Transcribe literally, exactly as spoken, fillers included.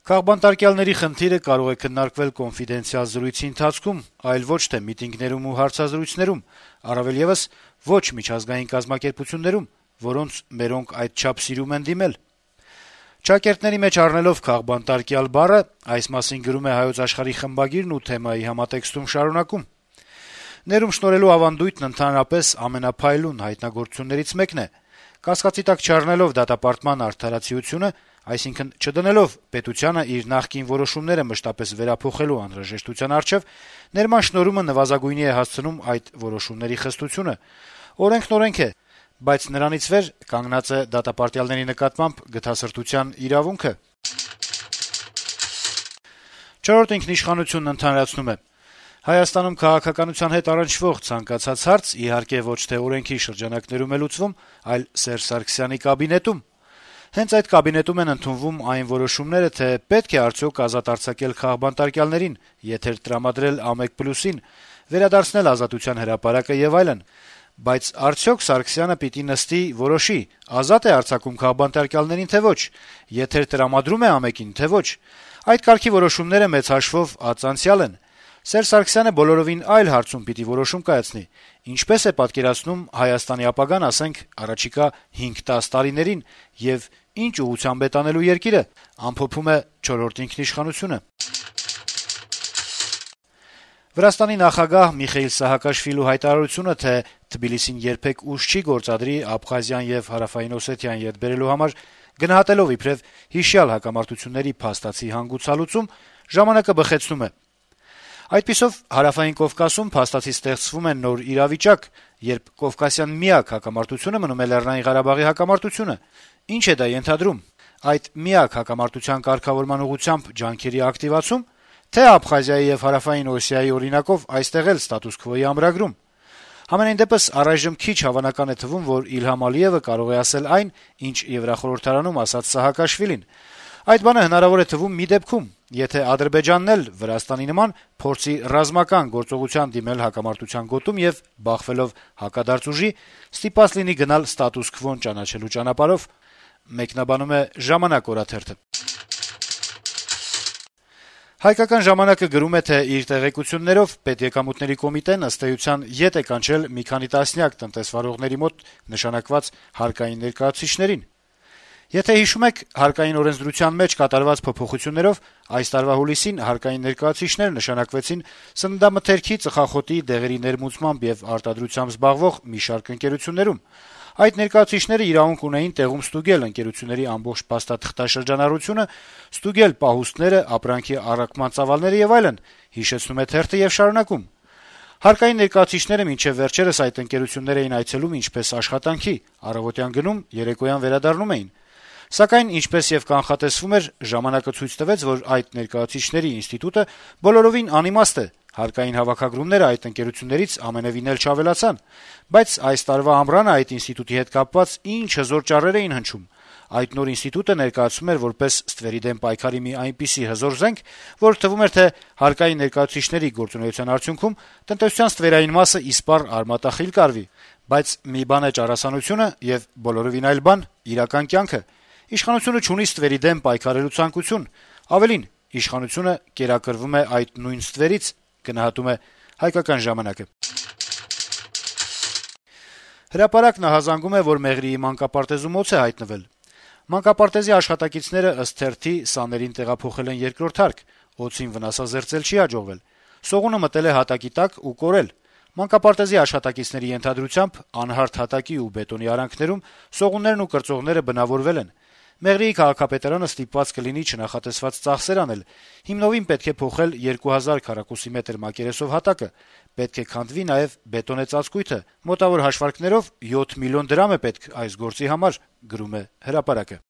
Քաղբանտարկյալների խնդիրը կարող է քննարկվել կոնֆիդենցիալ զրույցի ընթացքում, այլ ոչ թե միտինգներում ու հարցազրույցներում, առավել եւս ոչ միջազգային կազմակերպություններում, որոնց մերոնք այդչափ սիրում են դիմել։ Ճակերտների մեջ առնելով քաղբանտարկյալ բառը, այս մասին գրում է Հայոց Աշխարհի խմբագիրն ու թեմայի համատեքստում շարունակում. Ներում շնորհելու ավանդույթն ընդհանրապես ամենափայլուն հայտնագործություններից մեկն է։ Կասկածի տակ չառնելով դատապարտման արդարացիությունը, այսինքն չդնելով պետությանը իր նախկին որոշումները մշտապես վերափոխելու անհրաժեշտության առջև, ներման շնորհումը նվազագույնի է հասցնում այդ որոշումների խստությունը։ Օրենքն օրենք է, բայց նրանից վեր կանգնած է դատապարտյալների նկատմամբ գթասրտության իրավունքը։ Չորրորդ ինքնիշխանությունն ընդհանրացնում է. Հայաստանում քաղաքականության հետ առնչվող ցանկացած հարց իհարկե ոչ թե օրենքի շրջանակներում է լուծվում, այլ Սերժ Սարգսյանի կաբինետում։ Հենց այդ կաբինետում են ընդունվում այն որոշումները, թե պետք է արդյոք ազատ արձակել քաղբանտարկյալներին, եթեր տրամադրել ամեկ պլյուսին, վերադարձնել Ազատության հրապարակը եւ այլն։ Բայց արդյոք Սարգսյանը պիտի նստի որոշի՝ ազատ է արձակում քաղբանտարկյալներին, թե ոչ, եթեր տրամադրում է ամեկին, թե ոչ։ Այդ կարգի որոշումները մեծ հաշվով ածանցյալ են։ Սերժ Սարգսյանը բոլորովին այլ հարցում պիտի որոշում կայացնի. ինչպես է պատկերացնում Հայաստանի ապագան, ասենք, առաջիկա հինգ-տաս տարիներին եւ ինչ ուղղությամբ է տանելու երկիրը, ամփոփում է չորրորդ ինքնիշխանությունը։ Վրաստանի նախագահ Միխեիլ Սահակաշվիլու հայտարարությունը, թե Թբիլիսին երբեք ուժ չի գործադրի Աբխազիան եւ Հարավային Օսեթիան յետ բերելու համար, գնահատելով իբրև հիշյալ հակամարտությունների փաստացի հանգուցալուծում, ժամանակը բխեցնում է։ Այդպիսով Հարավային Կովկասում փաստացի ստեղծվում է նոր իրավիճակ, երբ կովկասյան միակ հակամարտությունը մնում է Լեռնային Ղարաբաղի հակամարտությունը։ Ինչ է դա ենթադրում։ Այդ միակ հակամարտության կարգավորման ուղղությամբ ջանքերի ակտիվացում, թե Աբխազիայի եւ Հարավային Օսիայի օրինակով այստեղ էլ ստատուս քվոյի ամրագրում։ Համենայն դեպս առայժմ քիչ հավանական է թվում, որ Իլհամ Ալիևը կարող է ասել այն, ինչ Եվրախորհրդարանում ասաց Սահակաշվիլին։ Այդ բանը հնարավոր է թվում մի դեպքում, եթե Ադրբեջանն էլ Վրաստանի նման փորձի ռազմական գործողության դիմել հակամարտության գոտում եւ բախվելով հակադարձ ուժի, ստիպված լինի գնալ ստատուս քվոն ճանաչելու ճանապարհով, մեկնաբանում է «Ժամանակ» օրաթերթը։ Հայկական ժամանակը գրում է, թե իր տեղեկություններով Պետեկամուտների կոմիտեն ըստ էության ետ է կանչել մի քանի տասնյակ տնտեսվարողների մոտ նշանակված հարկային ներկայացուցիչներին։ Եթե հիշում եք, հարկային օրենսդրության մեջ կատարված փոփոխություններով այս տարվա հուլիսին հարկային ներկայացուցիչներ նշանակվեցին սննդամթերքի, ծխախոտի, դեղերի ներմուծմամբ եւ արտադրությամբ զբաղվող մի շարք ընկերություններում։ Այդ ներկայացուցիչները իրավունք ունեին տեղում ստուգել ընկերությունների ամբողջ փաստաթղթաշրջանառությունը, ստուգել պահուստները, ապրանքի առաքման ծավալները եւ այլն, հիշեցնում է թերթը եւ շարունակում։ Հարկային ներկայացուցիչները մինչեւ վերջերս այդ ընկերություններ էին այցելում ինչպես աշխատանքի, առավոտյան գնում, երեկոյան վերադառնում էին։ Սակայն, ինչպես եւ կանխատեսվում էր, ժամանակը ցույց տվեց, որ այդ ներկայացուցիչների ինստիտուտը բոլորովին անիմաստ է։ Հարկային հավաքագրումները այդ ընկերություններից ամենեւին էլ չավելացան, բայց այս տարվա ամռանը այդ ինստիտուտի հետ կապված ինչ հզոր ճառեր էին հնչում։ Այդ նոր ինստիտուտը ներկայացվում էր որպես ստվերի դեմ պայքարի մի այնպիսի հզոր զենք, որ թվում էր, թե հարկային ներկայացուցիչների գործունեության արդյունքում տնտեսության ստվերային մասը իսպառ արմատախիլ կարվի, բայց մի բան է ճառասանությունը եւ բոլորովին այլ բան իրական կյանքը։ Իշխանությունը չունի ստվերի դեմ պայքարելու ցանկություն, ավելին, իշխանությունը կերակրվում է այդ նույն ստվերից, գնահատում է «Հայկական ժամանակը»։ Հրապարակն ահազանգում է, որ Մեղրիի մանկապարտեզում օձ է հայտնվել։ Մանկապարտեզի աշխատակիցները ըստ թերթի սաներին տեղափոխել են երկրորդ հարկ, օձին վնասազերծել չի հաջողվել։ Սողունը մտել է հատակի տակ ու կորել։ Մանկապարտեզի աշխատակիցների ենթադրությամբ անհարթ հատակի ու բետոնի արանքներում սողուններն ու կրծողները բնավորվել են։ Մեղրիի քաղաքապետարանը ստիպված կլինի չնախատեսված ծախսեր անել։ Հիմնովին պետք է փոխել երկու հազար քառակուսի մետր մակերեսով հատակը։ Պետք է քանդվի նաև բետոնե ծածկույթը։ Մոտավոր հաշվարկներով յոթ միլիոն դրամ է պետք այս գործի համար, գրում է Հրապարակը։